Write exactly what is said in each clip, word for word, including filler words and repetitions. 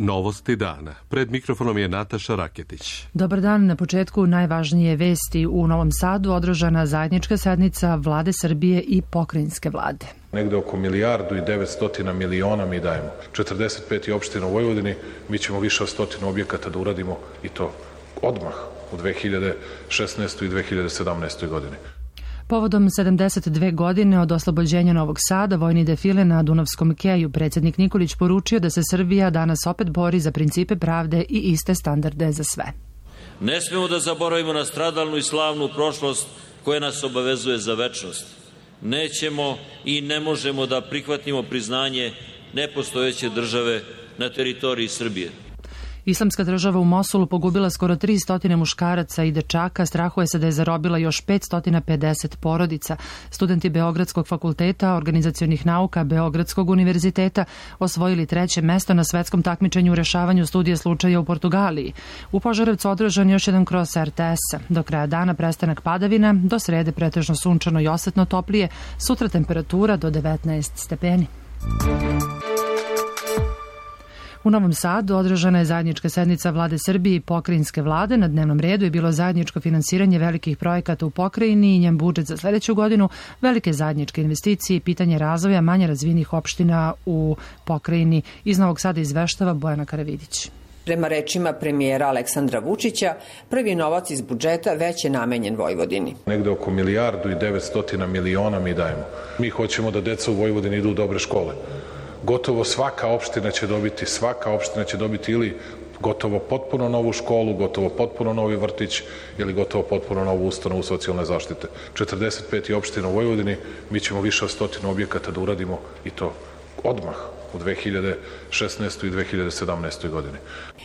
Novosti dana. Pred mikrofonom je Nataša Raketić. Dobar dan. Na početku najvažnije vesti. U Novom Sadu održana zajednička sednica Vlade Srbije i pokrajinske vlade. Negde oko milijardu i devetstotina miliona mi dajemo. četrdeset pet opština u Vojvodini, mi ćemo više od stotinu objekata da uradimo i to odmah u dve hiljade šesnaestoj i dve hiljade sedamnaestoj godini. Povodom sedamdeset dve godine od oslobođenja Novog Sada, vojni defile na Dunavskom keju, predsjednik Nikolić poručio da se Srbija danas opet bori za principe pravde i iste standarde za sve. Ne smemo da zaboravimo na stradalnu i slavnu prošlost koja nas obavezuje za večnost. Nećemo i ne možemo da prihvatimo priznanje nepostojeće države na teritoriji Srbije. Islamska država u Mosulu pogubila skoro tristo muškaraca i dečaka, strahuje se da je zarobila još petsto pedeset porodica. Studenti Beogradskog fakulteta organizacionih nauka Beogradskog univerziteta osvojili treće mesto na svetskom takmičenju u rešavanju studije slučaja u Portugaliji. U Požarevcu održan još jedan kros er te es-a. Do kraja dana prestanak padavina, do srede pretežno sunčano i osetno toplije, sutra temperatura do devetnaest stepeni. U Novom Sadu održana je zajednička sednica Vlade Srbije i pokrajinske vlade. Na dnevnom redu je bilo zajedničko finansiranje velikih projekata u pokrajini i njen budžet za sljedeću godinu, velike zajedničke investicije i pitanje razvoja manje razvijenih opština u pokrajini. Iz Novog Sada izveštava Bojana Karavidić. Prema rečima premijera Aleksandra Vučića, prvi novac iz budžeta već je namenjen Vojvodini. Negde oko milijardu i devetstotina miliona mi dajemo. Mi hoćemo da deca u Vojvodini idu u dobre škole. Gotovo svaka opština će dobiti, svaka opština će dobiti ili gotovo potpuno novu školu, gotovo potpuno novi vrtić ili gotovo potpuno novu ustanovu socijalne zaštite. četrdeset pet opština u Vojvodini, mi ćemo više od stotinu objekata da uradimo i to odmah u dve hiljade šesnaestoj i dve hiljade sedamnaestoj godini.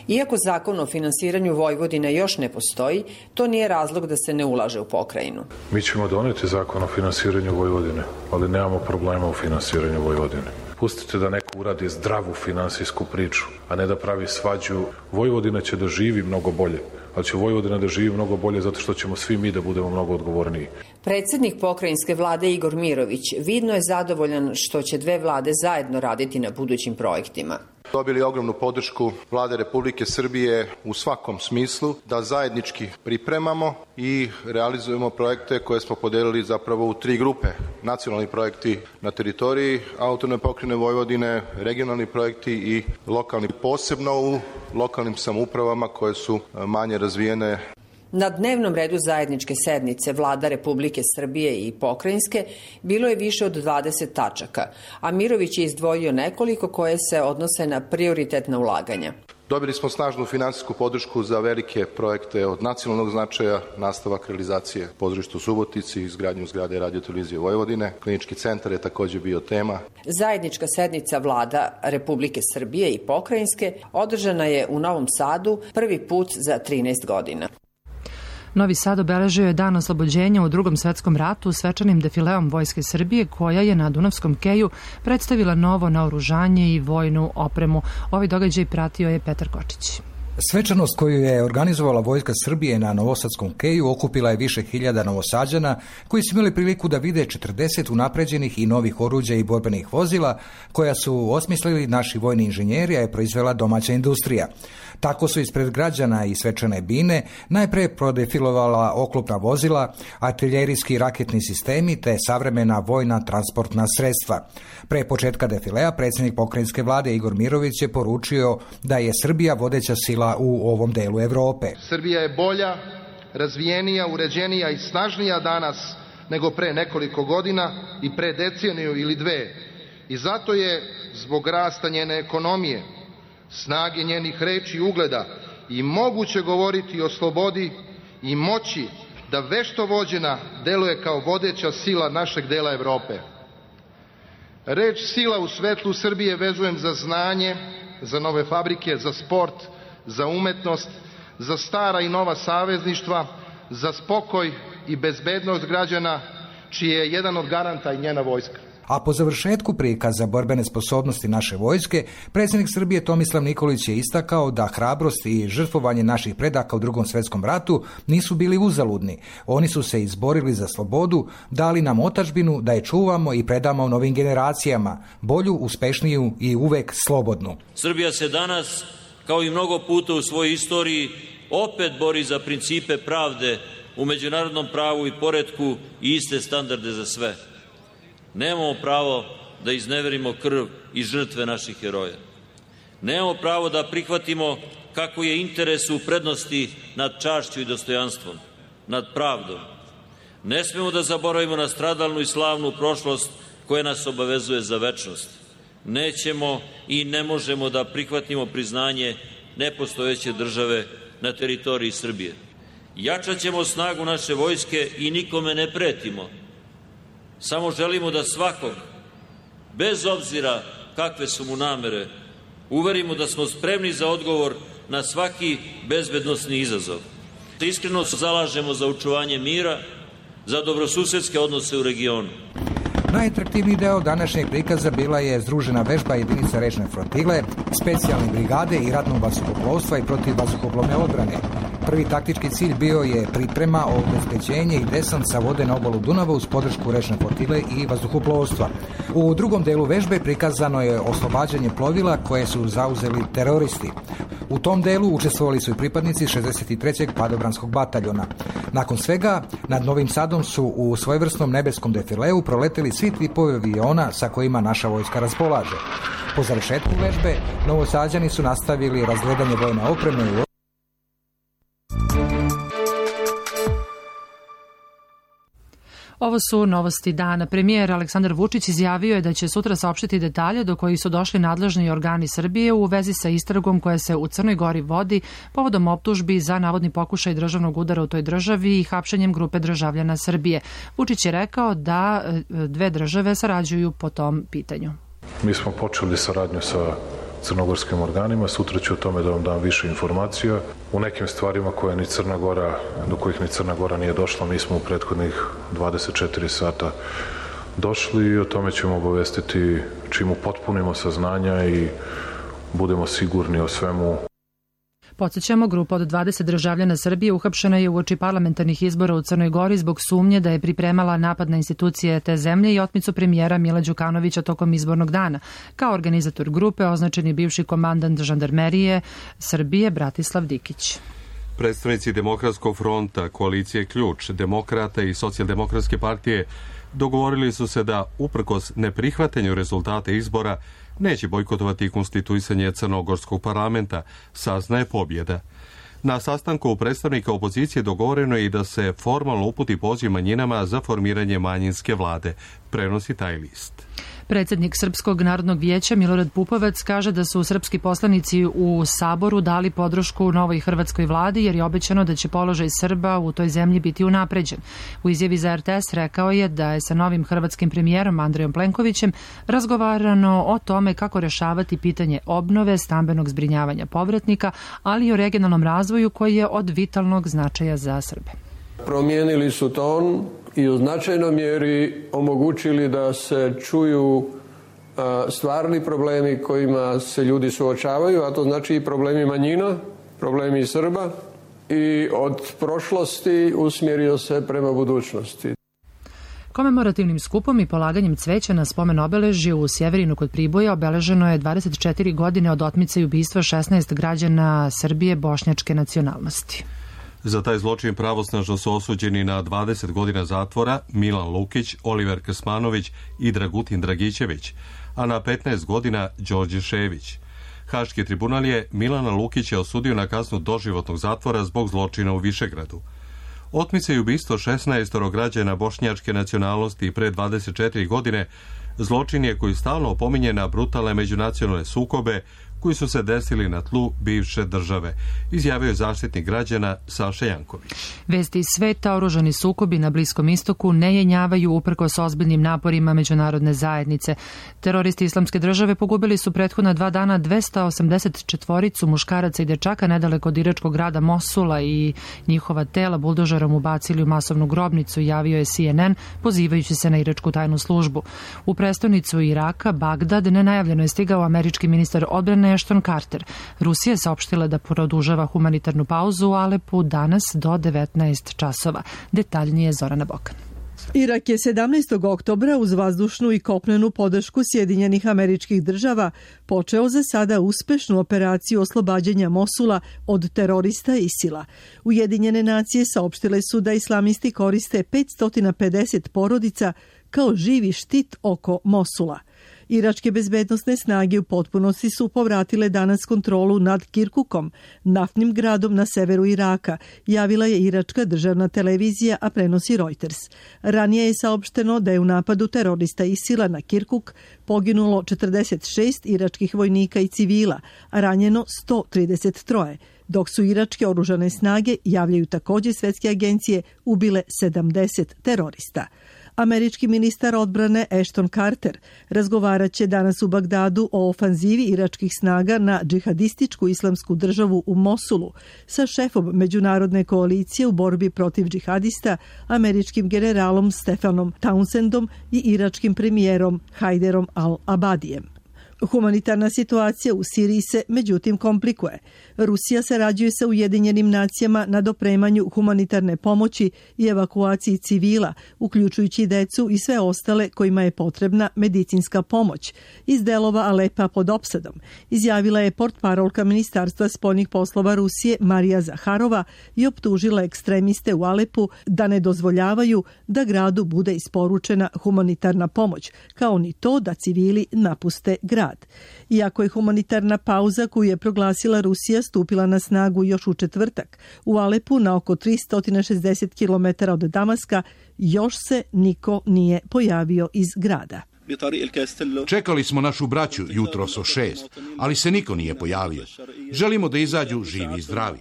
Iako zakon o finansiranju Vojvodine još ne postoji, to nije razlog da se ne ulaže u pokrajinu. Mi ćemo doneti zakon o finansiranju Vojvodine, ali nemamo problema u finansiranju Vojvodine. Pustite da neko uradi zdravu finansijsku priču, a ne da pravi svađu. Vojvodina će da živi mnogo bolje, ali će Vojvodina da živi mnogo bolje zato što ćemo svi mi da budemo mnogo odgovorniji. Predsjednik pokrajinske vlade Igor Mirović vidno je zadovoljan što će dve vlade zajedno raditi na budućim projektima. Dobili ogromnu podršku Vlade Republike Srbije u svakom smislu da zajednički pripremamo i realizujemo projekte koje smo podelili zapravo u tri grupe. Nacionalni projekti na teritoriji autonomne pokrajine Vojvodine, regionalni projekti i lokalni, posebno u lokalnim samoupravama koje su manje razvijene. Na dnevnom redu zajedničke sednice Vlada Republike Srbije i pokrajinske bilo je više od dvadeset tačaka, a Mirović je izdvojio nekoliko koje se odnose na prioritetna ulaganja. Dobili smo snažnu finansijsku podršku za velike projekte od nacionalnog značaja, nastavak realizacije pozorišta u Subotici, izgradnju zgrade Radio-televizije Vojvodine. Klinički centar je također bio tema. Zajednička sednica Vlada Republike Srbije i pokrajinske održana je u Novom Sadu prvi put za trinaest godina. Novi Sad obeležio je dan oslobođenja u Drugom svetskom ratu svečanim defileom Vojske Srbije koja je na Dunavskom keju predstavila novo naoružanje i vojnu opremu. Ovaj događaj pratio je Petar Kočić. Svečanost koju je organizovala Vojska Srbije na Novosadskom keju okupila je više hiljada Novosađana koji su imali priliku da vide četrdeset unapređenih i novih oruđa i borbenih vozila koja su osmislili naši vojni inženjeri, a je proizvela domaća industrija. Tako su ispred građana i svečane bine najpre prodefilovala oklopna vozila, artiljerijski raketni sistemi te savremena vojna transportna sredstva. Pre početka defilea predsjednik pokrajinske vlade Igor Mirović je poručio da je Srbija vodeća sila u ovom delu Evrope. Srbija je bolja, razvijenija, uređenija i snažnija danas nego pre nekoliko godina i pre deceniju ili dve. I zato je zbog rasta njene ekonomije, snage njenih reči i ugleda i moguće govoriti o slobodi i moći da vešto vođena deluje kao vodeća sila našeg dela Evrope. Reč sila u svetlu Srbije vezujem za znanje, za nove fabrike, za sport, za umetnost, za stara i nova savezništva, za spokoj i bezbednost građana, čiji je jedan od garanta i njena vojska. A po završetku prikaza borbene sposobnosti naše vojske, predsjednik Srbije Tomislav Nikolić je istakao da hrabrost i žrtvovanje naših predaka u Drugom svjetskom ratu nisu bili uzaludni. Oni su se izborili za slobodu, dali nam otadžbinu da je čuvamo i predamo novim generacijama, bolju, uspešniju i uvek slobodnu. Srbija se danas kao i mnogo puta u svojoj istoriji, opet bori za principe pravde u međunarodnom pravu i poretku i iste standarde za sve. Nemamo pravo da izneverimo krv i žrtve naših heroja. Nemamo pravo da prihvatimo kako je interes u prednosti nad čašću i dostojanstvom, nad pravdom. Ne smemo da zaboravimo na stradalnu i slavnu prošlost koja nas obavezuje za večnost. Nećemo i ne možemo da prihvatimo priznanje nepostojeće države na teritoriji Srbije. Jačat ćemo snagu naše vojske i nikome ne pretimo. Samo želimo da svakog, bez obzira kakve su mu namere, uverimo da smo spremni za odgovor na svaki bezbednosni izazov. Iskreno se zalažemo za očuvanje mira, za dobrosusedske odnose u regionu. Najatraktivniji deo današnjeg prikaza bila je združena vežba jedinica rečne flotile, specijalne brigade i ratnog vazduhoplovstva i protivvazduhoplovne odbrane. Prvi taktički cilj bio je priprema, obezbeđenje i desant sa vode na obalu Dunava uz podršku rečne flotile i vazduhoplovstva. U drugom delu vežbe prikazano je oslobađanje plovila koje su zauzeli teroristi. U tom delu učestvovali su i pripadnici šezdeset trećeg padobranskog bataljona. Nakon svega, nad Novim Sadom su u svojevrsnom nebeskom defileu proleteli svi tipovi aviona sa kojima naša vojska raspolaže. Po završetku vežbe, Novosađani su nastavili razgledanje vojne opreme u Ovo su novosti dana. Premijer Aleksandar Vučić izjavio je da će sutra saopštiti detalje do kojih su došli nadležni organi Srbije u vezi sa istragom koja se u Crnoj Gori vodi povodom optužbi za navodni pokušaj državnog udara u toj državi i hapšenjem grupe državljana Srbije. Vučić je rekao da dve države sarađuju po tom pitanju. Mi smo počeli saradnju sa crnogorskim organima, sutra ću o tome da vam dam više informacija. U nekim stvarima koje ni Crna Gora, do kojih ni Crna Gora nije došla, mi smo u prethodnih dvadeset četiri sata došli i o tome ćemo obavestiti čim upotpunimo saznanja i budemo sigurni o svemu. Podsjećamo, grupa od dvadeset državljana Srbije uhapšena je uoči parlamentarnih izbora u Crnoj Gori zbog sumnje da je pripremala napad na institucije te zemlje i otmicu premijera Mila Đukanovića tokom izbornog dana. Kao organizator grupe označen je bivši komandant žandarmerije Srbije Bratislav Dikić. Predstavnici Demokratskog fronta, koalicije Ključ, Demokrata i Socijaldemokratske partije dogovorili su se da, uprkos neprihvatanju rezultata izbora, neće bojkotovati konstituisanje crnogorskog parlamenta, saznaje pobjeda. Na sastanku predstavnika opozicije dogovoreno je i da se formalno uputi poziv manjinama za formiranje manjinske vlade, prenosi taj list. Predsjednik Srpskog narodnog vijeća Milorad Pupovac kaže da su srpski poslanici u Saboru dali podršku novoj hrvatskoj vladi jer je obećano da će položaj Srba u toj zemlji biti unapređen. U izjavi za R T S rekao je da je sa novim hrvatskim premijerom Andrejom Plenkovićem razgovarano o tome kako rešavati pitanje obnove, stambenog zbrinjavanja povratnika, ali i o regionalnom razvoju koji je od vitalnog značaja za Srbe. Promijenili su ton i u značajnoj mjeri omogućili da se čuju stvarni problemi kojima se ljudi suočavaju, a to znači i problemi manjina, problemi Srba, i od prošlosti usmjerio se prema budućnosti. Komemorativnim skupom i polaganjem cveća na spomen obeležju u Sjeverinu kod Priboja obeleženo je dvadeset četiri godine od otmice i ubistva šesnaest građana Srbije bošnjačke nacionalnosti. Za taj zločin pravosnažno su osuđeni na dvadeset godina zatvora Milan Lukić, Oliver Krsmanović i Dragutin Dragićević, a na petnaest godina Đorđe Šević. Haški tribunal je Milana Lukića osudio na kaznu doživotnog zatvora zbog zločina u Višegradu. Otmice i ubistvo šesnaest građana bošnjačke nacionalnosti pre dvadeset četiri godine zločin je koji stalno opominje na brutalne međunacionalne sukobe koji su se desili na tlu bivše države, izjavio je zaštitnik građana Saša Janković. Vesti iz sveta, oružani sukobi na Bliskom istoku ne jenjavaju uprkos ozbiljnim naporima međunarodne zajednice. Teroristi Islamske države pogubili su prethodna dva dana dvesta osamdeset četiri muškaraca i dečaka nedaleko od iračkog grada Mosula i njihova tela buldožerom ubacili u masovnu grobnicu, javio je C N N, pozivajući se na iračku tajnu službu. U prestonicu Iraka, Bagdad, nenajavljeno je stigao američki ministar odbrane Ashton Carter. Rusija je saopštila da produžava humanitarnu pauzu u Alepu danas do devetnaest časova. Detaljnije Zorana Bokan. Irak je sedamnaestog oktobra uz vazdušnu i kopnenu podršku Sjedinjenih Američkih Država počeo za sada uspešnu operaciju oslobađanja Mosula od terorista ISIL-a. Ujedinjene nacije saopštile su da islamisti koriste petsto pedeset porodica kao živi štit oko Mosula. Iračke bezbednosne snage u potpunosti su povratile danas kontrolu nad Kirkukom, naftnim gradom na severu Iraka, javila je iračka državna televizija, a prenosi Reuters. Ranije je saopšteno da je u napadu terorista ISIL-a na Kirkuk poginulo četrdeset šest iračkih vojnika i civila, a ranjeno sto trideset tri, dok su iračke oružane snage, javljaju također svetske agencije, ubile sedamdeset terorista. Američki ministar odbrane Ashton Carter razgovarat će danas u Bagdadu o ofanzivi iračkih snaga na džihadističku islamsku državu u Mosulu sa šefom međunarodne koalicije u borbi protiv džihadista, američkim generalom Stefanom Townsendom i iračkim premijerom Hajderom al-Abadijem. Humanitarna situacija u Siriji se međutim komplikuje. Rusija sarađuje sa Ujedinjenim nacijama na dopremanju humanitarne pomoći i evakuaciji civila, uključujući decu i sve ostale kojima je potrebna medicinska pomoć iz delova Alepa pod opsadom, izjavila je portparolka Ministarstva spoljnih poslova Rusije Marija Zaharova i optužila ekstremiste u Alepu da ne dozvoljavaju da gradu bude isporučena humanitarna pomoć, kao ni to da civili napuste grad. Iako je humanitarna pauza koju je proglasila Rusija stupila na snagu još u četvrtak, u Alepu na oko tristo šezdeset kilometara od Damaska još se niko nije pojavio iz grada. Čekali smo našu braću jutros o šest, ali se niko nije pojavio. Želimo da izađu živi i zdravi.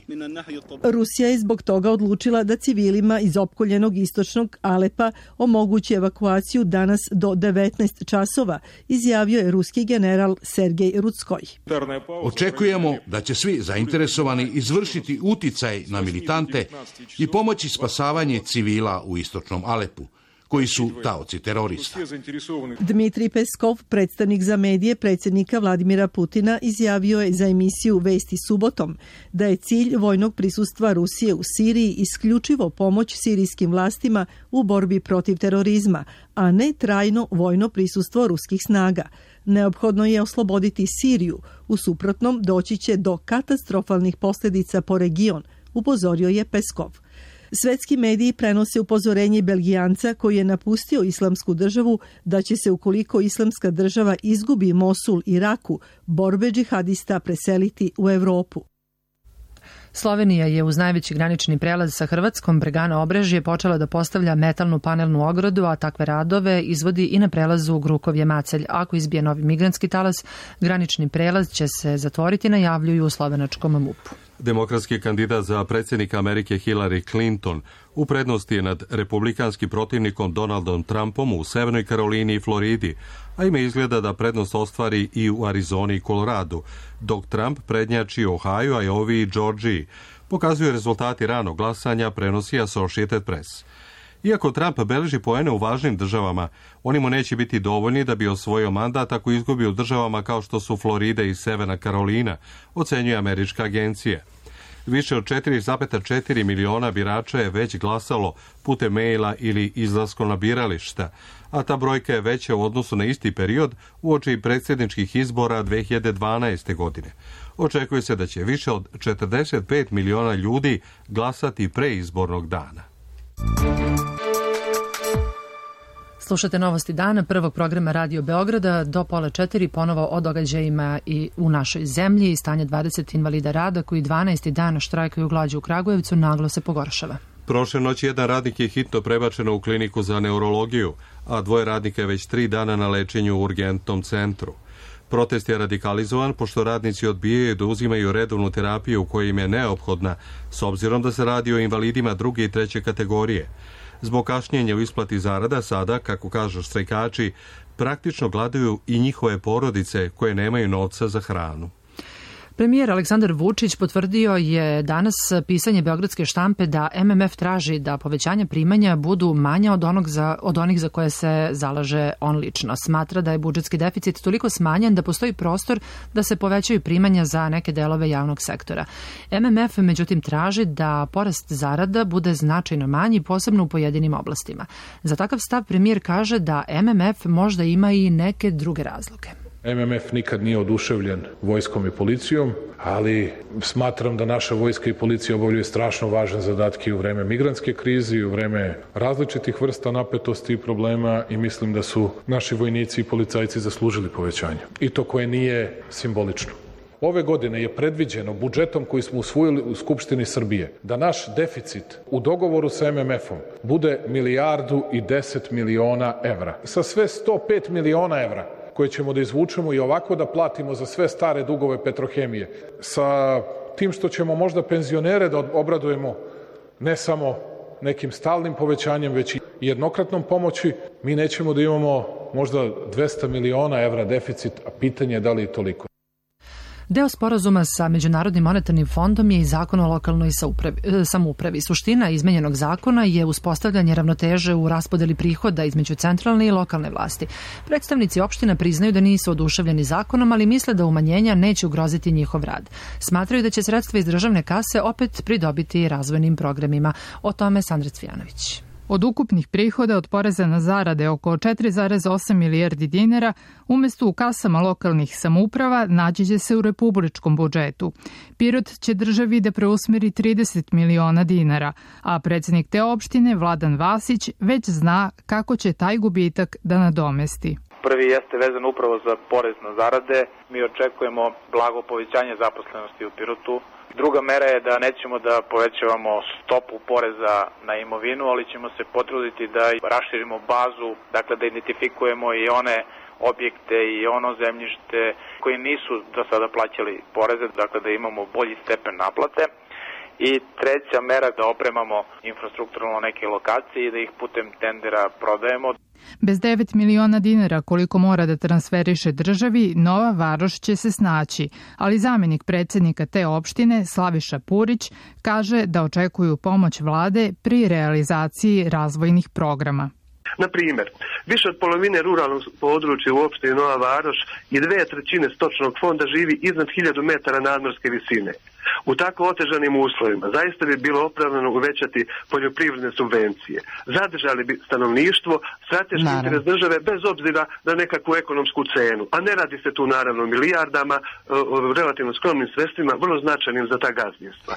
Rusija je zbog toga odlučila da civilima iz opkoljenog istočnog Alepa omogući evakuaciju danas do devetnaest časova, izjavio je ruski general Sergej Rutskoj. Očekujemo da će svi zainteresovani izvršiti uticaj na militante i pomoći spasavanje civila u istočnom Alepu, koji su taoci terorista. Dmitrij Peskov, predstavnik za medije predsjednika Vladimira Putina, izjavio je za emisiju Vesti subotom da je cilj vojnog prisustva Rusije u Siriji isključivo pomoć sirijskim vlastima u borbi protiv terorizma, a ne trajno vojno prisustvo ruskih snaga. Neophodno je osloboditi Siriju, u suprotnom doći će do katastrofalnih posljedica po region, upozorio je Peskov. Svetski mediji prenose upozorenje Belgijanca koji je napustio islamsku državu da će se, ukoliko islamska država izgubi Mosul i Raku, borbe džihadista preseliti u Europu. Slovenija je uz najveći granični prelaz sa Hrvatskom, Bregana Obrežje, počela da postavlja metalnu panelnu ogradu, a takve radove izvodi i na prelazu Grukovje-Macelj. Ako izbije novi migrantski talas, granični prelaz će se zatvoriti, najavljuju u slovenačkom M U P-u. Demokratski kandidat za predsjednika Amerike Hillary Clinton u prednosti je nad republikanskim protivnikom Donaldom Trumpom u Severnoj Karolini i Floridi, a ime izgleda da prednost ostvari i u Arizoni i Koloradu, dok Trump prednjači u Ohio, Iowi i Georgiji, pokazuju rezultati ranog glasanja, prenosi Associated Press. Iako Trump beleži poene u važnim državama, oni mu neće biti dovoljni da bi osvojio mandat ako izgubi u državama kao što su Florida i Severna Karolina, ocenjuje američka agencija. Više od četiri zarez četiri miliona birača je već glasalo putem maila ili izlaskom na birališta, a ta brojka je veća u odnosu na isti period uoči predsjedničkih izbora dve hiljade dvanaeste. godine. Očekuje se da će više od četrdeset pet miliona ljudi glasati pre izbornog dana. Slušate Novosti dana, prvog programa Radio Beograda, do pola četiri, ponovo o događajima i u našoj zemlji. Stanje dvadeset invalida rada koji dvanaesti dan štrajkaju glađu u Kragujevcu naglo se pogoršava. Prošle noći jedan radnik je hitno prebačeno u kliniku za neurologiju, a dvoje radnika je već tri dana na lečenju u urgentnom centru. Protest je radikalizovan pošto radnici odbijaju da uzimaju redovnu terapiju koja im je neophodna, s obzirom da se radi o invalidima druge i treće kategorije. Zbog kašnjenja u isplati zarada sada, kako kažu štrajkači, praktično gladaju i njihove porodice koje nemaju novca za hranu. Premijer Aleksandar Vučić potvrdio je danas pisanje Beogradske štampe da M M F traži da povećanja primanja budu manja od, onog za, od onih za koje se zalaže on lično. Smatra da je budžetski deficit toliko smanjen da postoji prostor da se povećaju primanja za neke delove javnog sektora. M M F međutim traži da porast zarada bude značajno manji, posebno u pojedinim oblastima. Za takav stav premijer kaže da M M F možda ima i neke druge razloge. M M F nikad nije oduševljen vojskom i policijom, ali smatram da naša vojska i policija obavljaju strašno važne zadatke u vreme migrantske krize i u vreme različitih vrsta napetosti i problema i mislim da su naši vojnici i policajci zaslužili povećanje. I to koje nije simbolično. Ove godine je predviđeno budžetom koji smo usvojili u Skupštini Srbije da naš deficit u dogovoru sa M M F-om bude milijardu i deset miliona evra. Sa sve sto pet miliona evra koje ćemo da izvučemo i ovako da platimo za sve stare dugove Petrohemije, sa tim što ćemo možda penzionere da obradujemo ne samo nekim stalnim povećanjem, već i jednokratnom pomoći, mi nećemo da imamo možda dvesta miliona evra deficit, a pitanje je da li je toliko. Deo sporazuma sa Međunarodnim monetarnim fondom je i zakon o lokalnoj samoupravi. Suština izmenjenog zakona je uspostavljanje ravnoteže u raspodeli prihoda između centralne i lokalne vlasti. Predstavnici opština priznaju da nisu oduševljeni zakonom, ali misle da umanjenja neće ugroziti njihov rad. Smatraju da će sredstva iz državne kase opet pridobiti razvojnim programima. O tome Sandra Cvijanović. Od ukupnih prihoda od poreza na zarade oko četiri zarez osam milijardi dinara, umesto u kasama lokalnih samouprava naći će se u republičkom budžetu. Pirot će državi da preusmeri trideset miliona dinara, a predsjednik te opštine, Vladan Vasić, već zna kako će taj gubitak da nadomesti. Prvi jeste vezan upravo za porez na zarade. Mi očekujemo blago povećanje zaposlenosti u Pirotu. Druga mera je da nećemo da povećavamo stopu poreza na imovinu, ali ćemo se potruditi da raširimo bazu, dakle da identifikujemo i one objekte i ono zemljište koji nisu do sada plaćali poreze, dakle da imamo bolji stepen naplate. I treća mera da opremamo infrastrukturalno neke lokacije i da ih putem tendera prodajemo. Bez devet miliona dinara koliko mora da transferiše državi, Nova Varoš će se snaći, ali zamjenik predsjednika te opštine, Slaviša Purić, kaže da očekuju pomoć vlade pri realizaciji razvojnih programa. Na primjer, više od polovine ruralnog područja u opštini Nova Varoš i dve trećine stočnog fonda živi iznad hiljadu metara nadmorske visine. U tako otežanim uslovima zaista bi bilo opravdano uvećati poljoprivredne subvencije. Zadržali bi stanovništvo, strateški interes države bez obzira na nekakvu ekonomsku cenu. A ne radi se tu naravno milijardama, o relativno skromnim sredstvima, vrlo značajnim za ta gazdinstva.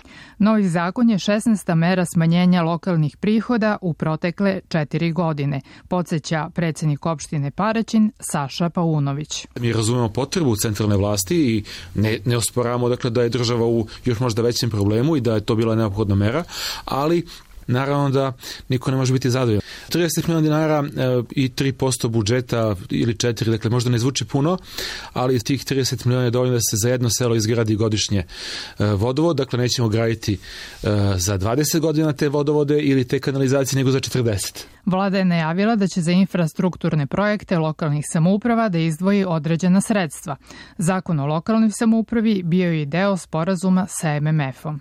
Novi zakon je šesnaesta mera smanjenja lokalnih prihoda u protekle četiri godine, podsjeća predsjednik opštine Paraćin Saša Paunović. Mi razumemo potrebu centralne vlasti i ne, ne osporavamo dakle, da je država u još možda većem problemu i da je to bila neophodna mera, ali naravno da niko ne može biti zadovoljan. trideset miliona dinara e, i tri posto budžeta ili četiri, dakle možda ne zvuči puno, ali iz tih trideset miliona je dovoljno da se za jedno selo izgradi godišnje e, vodovod, dakle nećemo graditi e, za dvadeset godina te vodovode ili te kanalizacije, nego za četrdeset. Vlada je najavila da će za infrastrukturne projekte lokalnih samouprava da izdvoji određena sredstva. Zakon o lokalnoj samoupravi bio je i deo sporazuma sa M M F-om.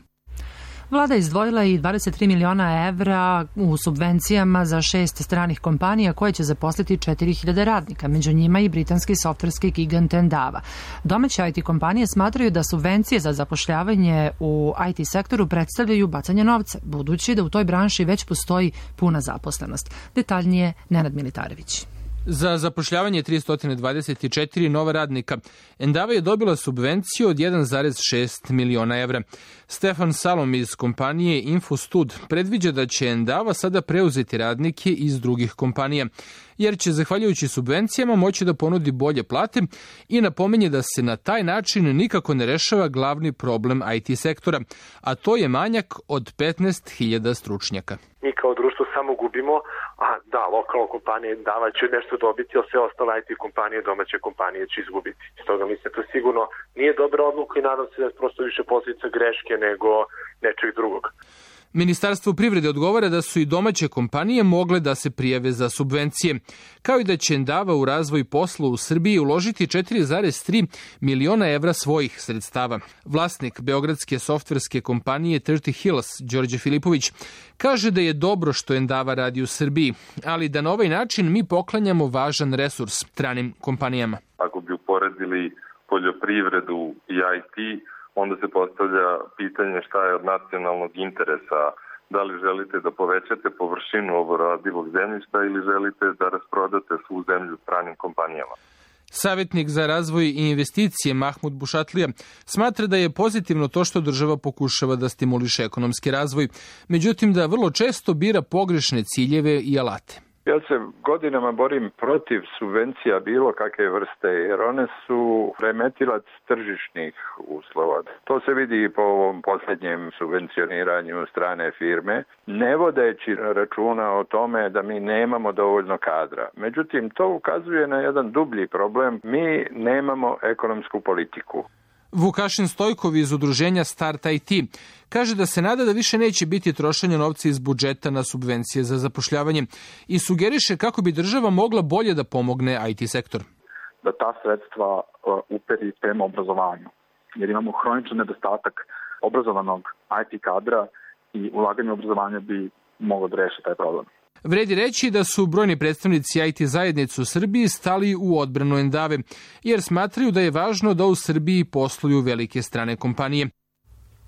Vlada je izdvojila i dvadeset tri miliona evra u subvencijama za šest stranih kompanija koje će zaposliti četiri hiljade radnika, među njima i britanski softverski gigant Endava. Domaće I T kompanije smatraju da subvencije za zapošljavanje u I T sektoru predstavljaju bacanje novca, budući da u toj branši već postoji puna zaposlenost. Detaljnije Nenad Militarević. Za zapošljavanje tristo dvadeset četiri nova radnika Endava je dobila subvenciju od jedan zarez šest miliona evra. Stefan Salom iz kompanije Infostud predviđa da će Endava sada preuzeti radnike iz drugih kompanija, jer će zahvaljujući subvencijama moći da ponudi bolje plate i napominje da se na taj način nikako ne rešava glavni problem I T sektora, a to je manjak od petnaest hiljada stručnjaka. Mi kao društvo samo gubimo, a da, lokalna kompanija Endava će nešto dobiti, a sve ostale I T kompanije, domaće kompanije će izgubiti. Stoga mislim da to sigurno nije dobra odluka i nadam se da je prosto više posljedica greške nego nečeg drugog. Ministarstvo privrede odgovara da su i domaće kompanije mogle da se prijave za subvencije, kao i da će Endava u razvoj posla u Srbiji uložiti četiri zarez tri miliona evra svojih sredstava. Vlasnik beogradske softverske kompanije trideset Hills, Đorđe Filipović, kaže da je dobro što Endava radi u Srbiji, ali da na ovaj način mi poklanjamo važan resurs stranim kompanijama. Ako bi uporedili poljoprivredu i I T, onda se postavlja pitanje šta je od nacionalnog interesa. Da li želite da povećate površinu oboradivog zemljišta ili želite da rasprodate svu zemlju stranim kompanijama. Savjetnik za razvoj i investicije Mahmud Bušatlija smatra da je pozitivno to što država pokušava da stimuliše ekonomski razvoj, međutim da vrlo često bira pogrešne ciljeve i alate. Ja se godinama borim protiv subvencija bilo kakve vrste, jer one su remetilac tržišnih uslova. To se vidi i po ovom posljednjem subvencioniranju strane firme, ne vodeći računa o tome da mi nemamo dovoljno kadra. Međutim, to ukazuje na jedan dublji problem. Mi nemamo ekonomsku politiku. Vukašin Stojkov iz udruženja Start I T kaže da se nada da više neće biti trošenja novca iz budžeta na subvencije za zapošljavanje i sugeriše kako bi država mogla bolje da pomogne I T sektor. Da ta sredstva uperi prema obrazovanju, jer imamo hroničan nedostatak obrazovanog I T kadra i ulaganje u obrazovanje bi moglo da reši taj problem. Vredi reći da su brojni predstavnici I T zajednice u Srbiji stali u odbranu Endave, jer smatraju da je važno da u Srbiji posluju velike strane kompanije.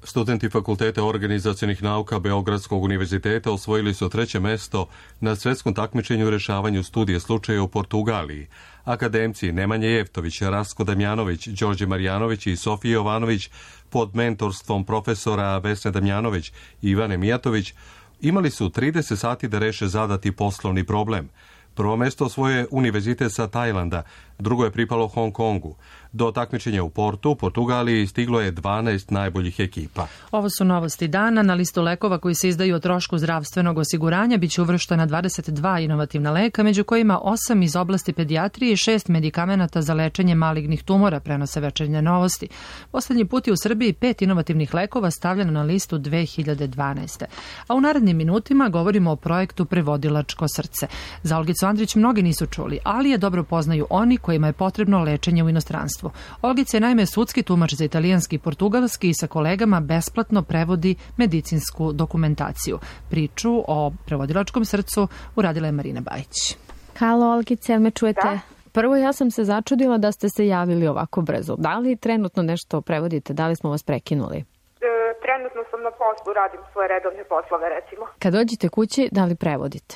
Studenti Fakulteta organizacionih nauka Beogradskog univerziteta osvojili su treće mesto na svetskom takmičenju u rešavanju studije slučaja u Portugaliji. Akademci Nemanja Jeftović, Rasko Damjanović, Đorđe Marjanović i Sofija Jovanović pod mentorstvom profesora Vesne Damjanović i Ivane Mijatović imali su trideset sati da reše zadati poslovni problem. Prvo mesto osvojio Univerzitet sa Tajlanda, drugo je pripalo Hong Kongu. Do takmičenja u Portu, Portugaliji, stiglo je dvanaest najboljih ekipa. Ovo su novosti dana. Na listu lekova koji se izdaju o trošku zdravstvenog osiguranja biće uvrštena dvadeset dva inovativna leka, među kojima osam iz oblasti pedijatrije i šest medikamenata za lečenje malignih tumora, prenose Večernje novosti. Poslednji put je u Srbiji pet inovativnih lekova stavljeno na listu dve hiljade dvanaeste. A u narednim minutima govorimo o projektu Prevodilačko srce. Za Olgicu Andrić mnogi nisu čuli, ali je dobro poznaju oni kojima je potrebno lečenje u inostranstvu. Olgica je naime sudski tumač za italijanski i portugalski i sa kolegama besplatno prevodi medicinsku dokumentaciju. Priču o prevodilačkom srcu uradila je Marina Bajić. Halo Olgice, jel me čujete? Da. Prvo ja sam se začudila da ste se javili ovako brzo. Da li trenutno nešto prevodite? Da li smo vas prekinuli? E, trenutno sam na poslu, radim svoje redovne poslove recimo. Kad dođete kući, da li prevodite?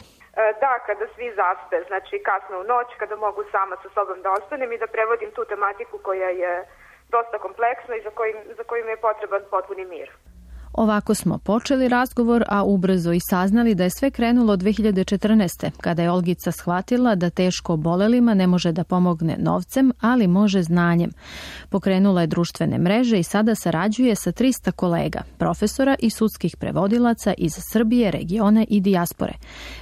Da, kada svi zaspe, znači kasno u noć, kada mogu sama sa sobom da ostanem i da prevodim tu tematiku koja je dosta kompleksna i za kojim, za kojim je potreban potpuni mir. Ovako smo počeli razgovor, a ubrzo i saznali da je sve krenulo dve hiljade četrnaeste. kada je Olgica shvatila da teško obolelima ne može da pomogne novcem, ali može znanjem. Pokrenula je društvene mreže i sada sarađuje sa trista kolega, profesora i sudskih prevodilaca iz Srbije, regiona i dijaspore.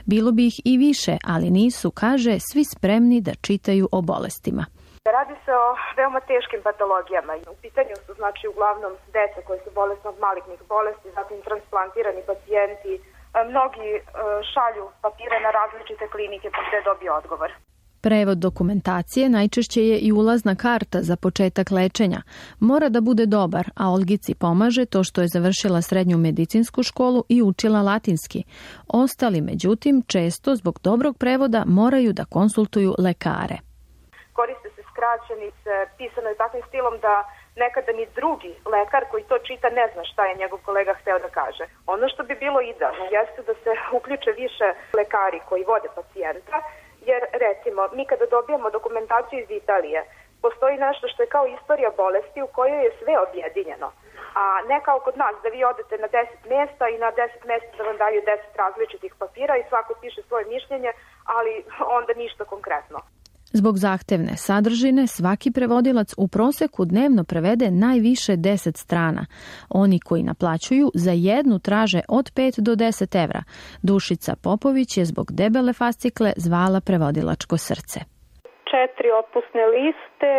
Bilo bi ih i više, ali nisu, kaže, svi spremni da čitaju o bolestima. Radi se o veoma teškim patologijama. U pitanju su znači uglavnom deca koje su bolesne od malignih bolesti, zatim transplantirani pacijenti. Mnogi šalju papire na različite klinike pa gde dobiju odgovor. Prevod dokumentacije najčešće je i ulazna karta za početak lečenja. Mora da bude dobar, a Olgici pomaže to što je završila srednju medicinsku školu i učila latinski. Ostali, međutim, često zbog dobrog prevoda moraju da konsultuju lekare. Koriste se skraćenice, pisano je takvim stilom da nekada ni drugi lekar koji to čita ne zna šta je njegov kolega hteo da kaže. Ono što bi bilo idealno jeste da se uključe više lekari koji vode pacijenta, jer recimo mi kada dobijamo dokumentaciju iz Italije, postoji nešto što je kao istorija bolesti u kojoj je sve objedinjeno. A ne kao kod nas da vi odete na deset mesta i na deset mesta da vam daju deset različitih papira i svako piše svoje mišljenje, ali onda ništa konkretno. Zbog zahtevne sadržine, svaki prevodilac u proseku dnevno prevede najviše deset strana. Oni koji naplaćuju za jednu traže od pet do deset evra. Dušica Popović je zbog debele fascikle zvala Prevodilačko srce. Četiri otpusne liste,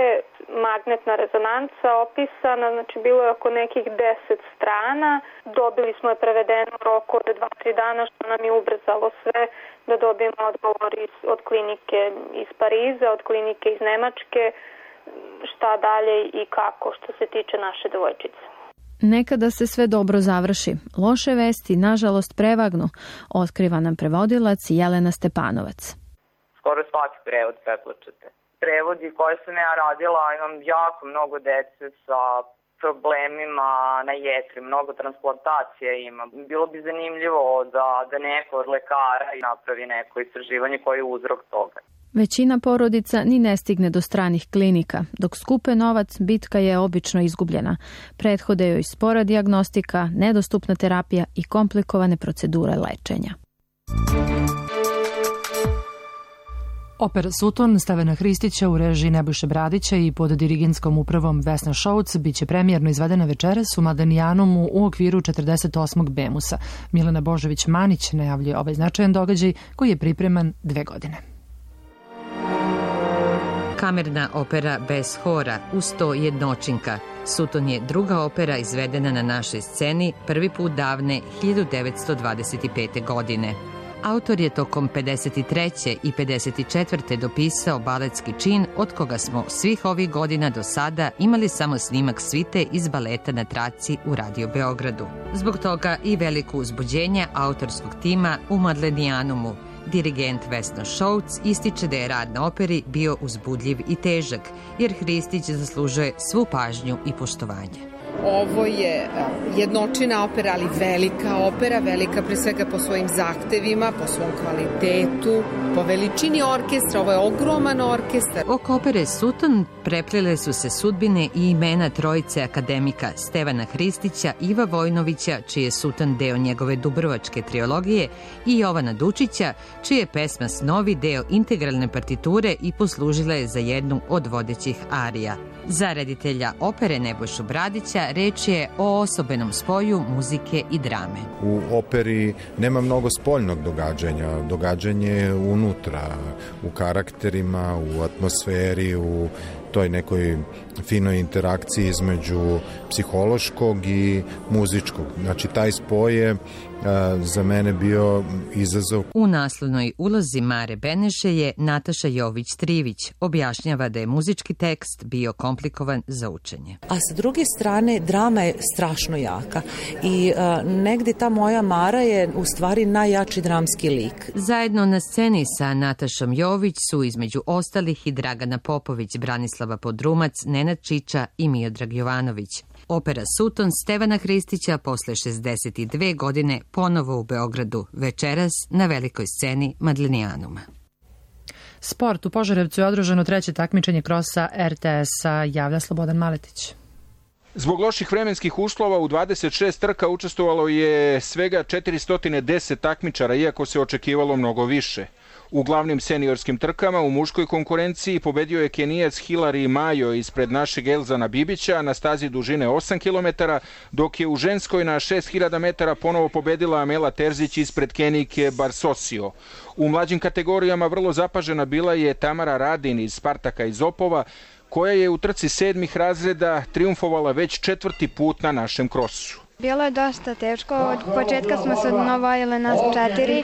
magnetna rezonanca opisana, znači bilo je oko nekih deset strana. Dobili smo je prevedeno u roku od dva tri dana, što nam je ubrzalo sve da dobijemo odgovor iz, od klinike iz Pariza, od klinike iz Nemačke, šta dalje i kako što se tiče naše devojčice. Nekada se sve dobro završi. Loše vesti, nažalost, prevagnu, otkriva nam prevodilac Jelena Stepanovac. Skoro svaki prevod preplačete. Prevodi koje sam ja radila, imam jako mnogo dece sa problemima na jetri, mnogo transplantacije ima. Bilo bi zanimljivo da, da neko od lekara napravi neko istraživanje koji je uzrok toga. Većina porodica ni ne stigne do stranih klinika. Dok skupe novac, bitka je obično izgubljena. Prethode joj spora dijagnostika, nedostupna terapija i komplikovane procedure lečenja. Opera Sutton Stevana Hristića u režiji Nebojše Bradića i pod dirigentskom upravom Vesna Šouc biće premijerno izvedena večeras u Mladenijanumu u okviru četrdeset osmog Bemusa. Milena Božović-Manić najavljuje ovaj značajan događaj koji je pripreman dve godine. Kamerna opera bez hora u sto jednočinka. Sutton je druga opera izvedena na našoj sceni prvi put davne hiljadu devetsto dvadeset pete. godine. Autor je tokom pedeset treće i pedeset četvrte dopisao baletski čin, od koga smo svih ovih godina do sada imali samo snimak svite iz baleta na traci u Radio Beogradu. Zbog toga i veliko uzbuđenje autorskog tima u Mladenijanumu. Dirigent Vesna Šouc ističe da je rad na operi bio uzbudljiv i težak, jer Hristić zaslužuje svu pažnju i poštovanje. Ovo je jednočina opera, ali velika opera, velika pre svega po svojim zahtevima, po svom kvalitetu, po veličini orkestra. Ovo je ogroman orkestar. Oko opere Sutton preplele su se sudbine i imena trojice akademika Stevana Hristića, Iva Vojnovića, čiji je Sutton deo njegove Dubrovačke trilogije, i Jovana Dučića, čiji je pesma Snovi deo integralne partiture i poslužila je za jednu od vodećih arija. Za reditelja opere Nebojšu Bradića reč je o osobenom spoju muzike i drame. U operi nema mnogo spoljnog događanja. Događanje je unutra, u karakterima, u atmosferi, u toj nekoj finoj interakciji između psihološkog i muzičkog. Znači, taj spoj je a, za mene bio izazov. U naslovnoj ulozi Mare Beneše je Nataša Jović-Trivić. Objašnjava da je muzički tekst bio komplikovan za učenje. A sa druge strane, drama je strašno jaka i a, negde ta moja Mara je u stvari najjači dramski lik. Zajedno na sceni sa Natašom Jović su između ostalih i Dragana Popović, Branislava Podrumac, Nenad Čiča i Miodrag Jovanović. Opera Sutton Stevana Hristića posle šezdeset dve godine ponovo u Beogradu, večeras na velikoj sceni Mladenijanuma. Sport. U Požarevcu je održano treće takmičenje krosa er te es-a, javlja Slobodan Maletić. Zbog loših vremenskih uslova u dvadeset šest trka učestvovalo je svega četiristo deset takmičara, iako se očekivalo mnogo više. U glavnim seniorskim trkama u muškoj konkurenciji pobedio je Kenijac Hilari Majo ispred našeg Elzana Bibića na stazi dužine osam kilometara, dok je u ženskoj na šest hiljada metara ponovo pobedila Amela Terzić ispred Kenijke Barsosio. U mlađim kategorijama vrlo zapažena bila je Tamara Radin iz Spartaka iz Opova, koja je u trci sedmih razreda triumfovala već četvrti put na našem krosu. Bilo je dosta teško, od početka smo se odnovojile nas četiri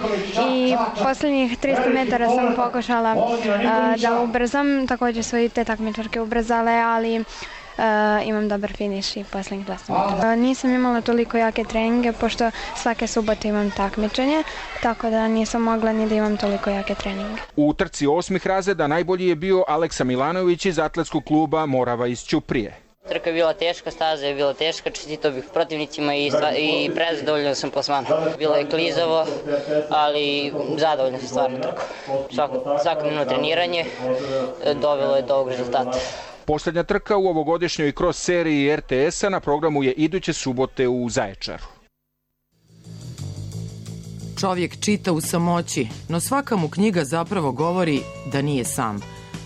i posljednjih tristo metara sam pokušala uh, da ubrzam, također su i te takmičarke ubrzale, ali uh, imam dobar finiš i posljednjih dvesta metara. Uh, nisam imala toliko jake treninge, pošto svake subote imam takmičenje, tako da nisam mogla ni da imam toliko jake treninge. U trci osmih razreda najbolji je bio Aleksa Milanović iz atletskog kluba Morava iz Ćuprije. Trka je bila teška, staza je bila teška, čestitao bih protivnicima i, i prezadovoljno sam plasmanom. Bilo je klizavo, ali zadovoljno sam stvarno trku. Svako, svakodnevno treniranje dovelo je do ovog rezultata. Poslednja trka u ovogodišnjoj cross seriji er te es-a na programu je iduće subote u Zaječaru. Čovjek čita u samoći, no svaka mu knjiga zapravo govori da nije sam.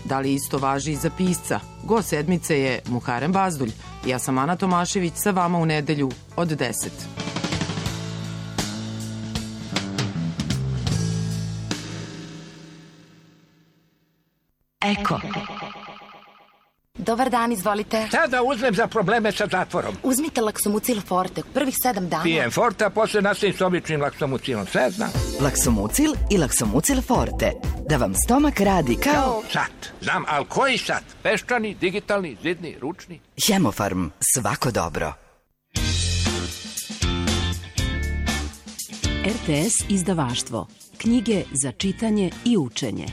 Da li isto važi i za pisca? Go sedmice je Muharem Bazdulj. Ja sam Ana Tomašević, sa vama u nedelju od deset. Eko. Dobar dan, izvolite. Šta da uzmem za probleme sa zatvorom? Uzmite Laksomucil Forte, prvih sedam dana. Pijem Forte, a posle nastavim s običnim Laksomucilom, sve znam. Laksomucil i Laksomucil Forte. Da vam stomak radi kao... Sat. Znam, ali koji sat? Peščani, digitalni, zidni, ručni? Hemofarm. Svako dobro. R T S izdavaštvo. Knjige za čitanje i učenje.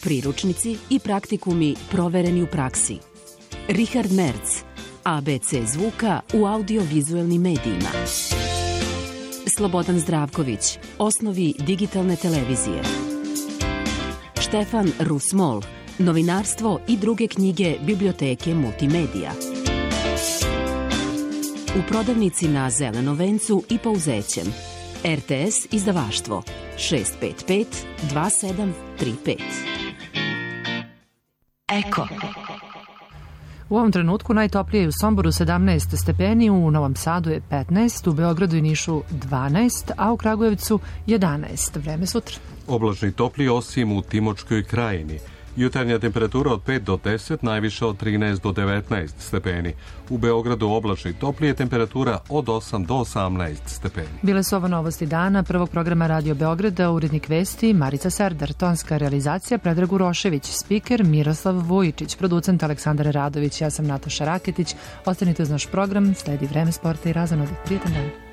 Priručnici i praktikumi provereni u praksi. Richard Merz. A B C zvuka u audiovizuelnim medijima. Slobodan Zdravković. Osnovi digitalne televizije. Štefan Rusmol. Novinarstvo i druge knjige biblioteke multimedija. U prodavnici na Zelenom vencu i Pouzećem. R T S izdavaštvo šest pet pet dva sedam tri pet. Eko. U ovom trenutku najtoplije je u Somboru sedamnaest stepeni, u Novom Sadu je petnaest, u Beogradu i Nišu dvanaest, a u Kragujevcu jedanaest. Vreme sutra. Oblačni toplije osim u Timočkoj krajini. Jutarnja temperatura od pet do deset, najviše od trinaest do devetnaest stepeni. U Beogradu oblačni toplije, temperatura od osam do osamnaest stepeni. Bile su ovo novosti dana prvog programa Radio Beograda, urednik vesti Marica Serdar, tonska realizacija Predrag Urošević, spiker Miroslav Vujičić, producent Aleksandar Radović, ja sam Nataša Raketić. Ostanite uz naš program, sledi Vreme sporta i razonodi. Prijetan dan.